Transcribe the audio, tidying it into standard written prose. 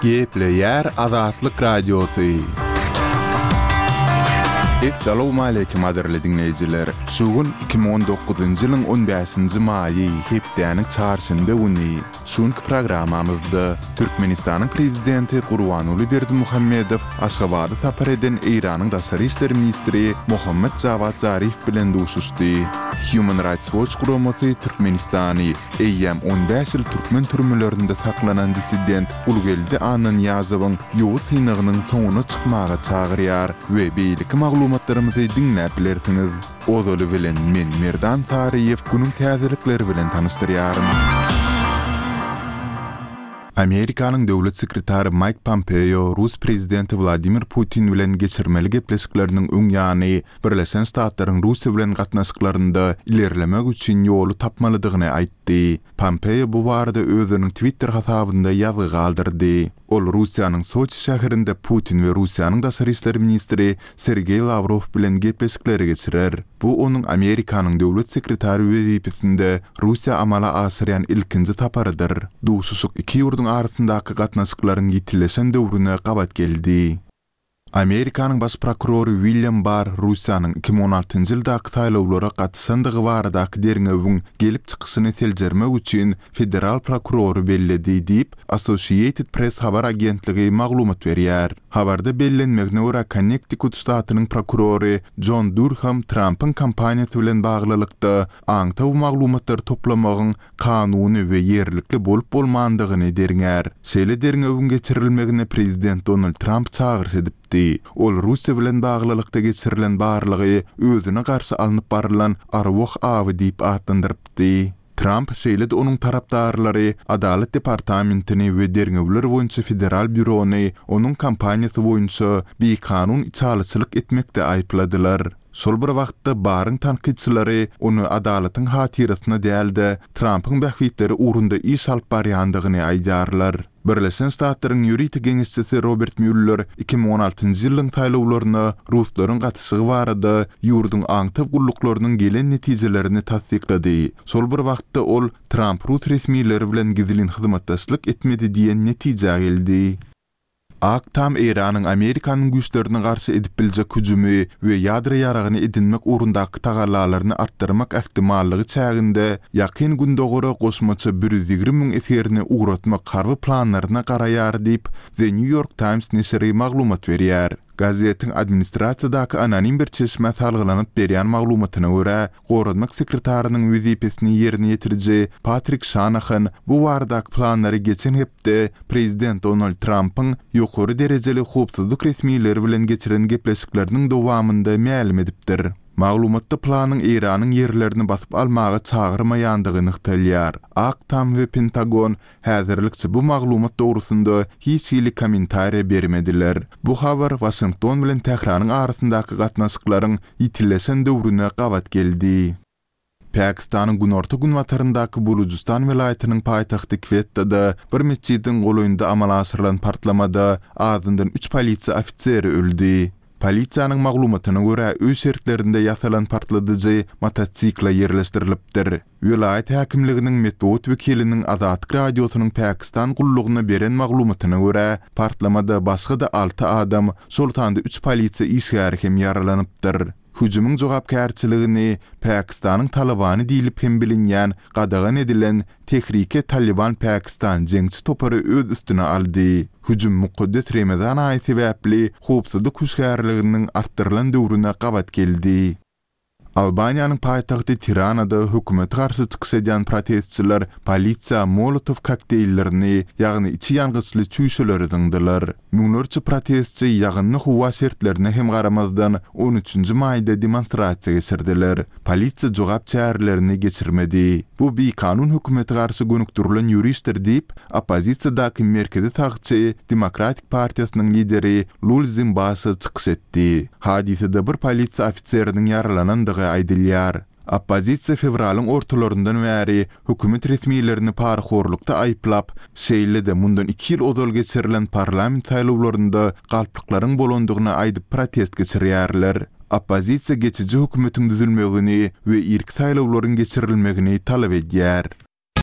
Gepleýär Azatlyk Radiosy. Essalawmaleýkim gadyrly diňleýjiler! Şu gün 2019-njy ýylyň on bäşinji maýy, hepdäniň çarşenbe güni. Şu günki programmamyzda Türkmenistanyň Prezidenti Gurbanguly Berdimuhamedow Aşgabada sapar eden Eýranyň daşary işler ministri Mohammad Jawad Zarif bilen duşuşdy. Human Rights Watch guramasy Türkmenistany eýýäm on bäş ýyl türkmen türmelerinde saklanan dissident Gulgeldi Annanyýazowyň ýowuz synagynyň soňuna çykmaga çagyrýar we beýleki maglumatlarymyzy diňläp bilersiňiz. Ozaly bilen men Merdan Saryýew günüň täzelikleri bilen tanyşdyrýaryn. Amerikanyň döwlet sekretary Maýk Pompeo rus prezidenti Wladimir Putin bilen geçirmeli gepleşikleriniň öň ýany Birleşen Ştatlaryň Russiýa bilen gatnaşyklarynda ilerlemek üçin ýoly tapmalydygyny aýtdy. Pompeo bu barada özüniň Twitter hasabynda ýazgy galdyrdy. Ol Russiýanyň Soçi şäherinde Putin we Russiýanyň daşary işler ministri Sergeý Lawrow bilen gepleşikleri geçirer. Bu onuň Amerikanyň döwlet sekretary wezipesinde Russiýa amala aşyrýan ilkinji saparydyr. Duşuşyk iki ýurduň arasyndaky gatnaşyklaryň ýitileşen döwrüne gabat geldi. Amerikanyň baş prokurory William Barr Russiýanyň 2016-njy ýyldaky saýlawlara gatyşandygy baradaky derňewiň gelip çykyşyny seljermek üçin federal prokurory belledi diýip, Associated Press habar agentligi maglumat berýär. Habarda bellenmegine görä, Konnektikut ştatynyň prokurory Jon Durham Trampyň kampaniýasy bilen baglylykda aňtaw maglumatlary toplamagyň kanuny we ýerlikli bolup-bolmandygyny derňär. Şeýle derňewiň geçirilmegine prezident Donald Tramp çagyryş edipdi. Ol Russiýa bilen baglylykda geçirilen barlagy özüne garşy alnyp barylan arwah awy diýip atlandyrypdy. Tramp, şeýle-de onuň tarapdarlary Adalat departamentini we Derňewler boýunça federal býurony onuň kampaniýasy boýunça bikanun içalyçylyk etmekde aýypladylar. Şol bir wagtda, Barryň tankytçylary ony adalatyň hatyrasyna däl-de, Trampyň bähbitleri ugrunda iş alyp barýandygyny aýdýarlar. Birleşen Ştatlaryň ýörite geňeşçisi Robert Mýuller 2016-njy ýylyň saýlawlaryna ruslaryň gatyşygy barada ýurduň aňtaw gulluklarynyň gelen netijelerini tassyklady. Şol bir wagtda ol Tramp rus resmileri bilen gizlin hyzmatdaşlyk etmedi diýen netijä geldi. Ak Tam Eýranyň Amerikanyň güýçlerine garşy edip biljek hüjümi we ýadro ýaragyny edinmek ugrundaky tagallalaryny artdyrmak ähtimallygy çäginde Ýakyn Gündogara goşmaça 120 müň esgerini ugratmak harby planlaryna garaýar diýip, The New York Times neşiri maglumat berýär. Gazetiň administrasiýadaky anonim bir çeşmä salgylanyp berýän maglumatyna görä, goranmak sekretarynyň wezipesini ýerine ýetiriji Patrik Şanahan bu baradaky planlary geçen hepde prezident Donald Trampyň ýokary derejeli howpsuzlyk resmileri bilen geçiren gepleşikleriniň dowamynda mälim edipdir. Maglumatda planyň Eýranyň ýerlerini basyp almaga çagyrmaýandygy nygtalýar. Ak Tam we Pentagon Häzirlikçe bu maglumat dogrusynda hiç hili kommentariýa bermediler. Bu habar Waşington bilen Tähranyň arasyndaky gatnaşyklaryň ýitileşen döwrüne gabat geldi. Pakistanyň günorta-günbataryndaky Bulujystan welaýatynyň paýtagty Kwettada bir metjidiň golaýynda amala aşyrylan partlamada azyndan üç polisiýa ofiseri öldi. Polisiýanyň maglumatyna görä, öý şertlerinde ýasalan partladyjy motosikle ýerleşdirilipdir. Welaýat häkimliginiň metbugat wekiliniň Azatlyk Radiosynyň Pakistan gullugyna beren maglumatyna görä, partlamada başga-da alty adam, şol sanda üç polisiýa işgäri hem ýaralanypdyr. Hüjümiň jogapkärçiligini Pakistanyň Talybany diýlip hem bilinýän gadagan edilen Tehrike Talyban Pakistan jeňçi topary öz üstüne aldy. Hüjüm mukaddes Remezan aýy sebäpli howpsuzlyk hüşgärliginiň artdyrylan döwrüne gabat geldi. Albaniýanyň paýtagty Tiranada hökümete garşy çykyş edýän protestçiler polisiýa Molotow kokteýllerini, ýagny içi ýangyçly çüýşeleri zyňdylar. Müňlerçe protestçi ýagynly howa şertlerine hem garamazdan, on üçünji maýda demonstrasiýa geçirdiler. Polisiýa jogap çärelerini geçirmedi. Bu bikanun hökümete garşy gönükdirilen ýörişdir diýip, oppozisiýadaky merkezi sagçy Demokratik partiýasynyň lideri Lulzim Basha çykyş etdi. Hadysada bir polisiýa ofiseriniň ýaralanandygy aýdylýar. Oppozisiýa fewralyň ortalaryndan bäri hökümet resmilerini parahorlukda aýyplap, şeýle-de mundan iki ýyl ozal geçirilen parlament saýlawlarynda galplyklaryň bolandygyny aýdyp protest geçirýärler. Oppozisiýa geçiji hökümetiň düzülmegini we irki saýlawlaryň geçirilmegini talap edýär.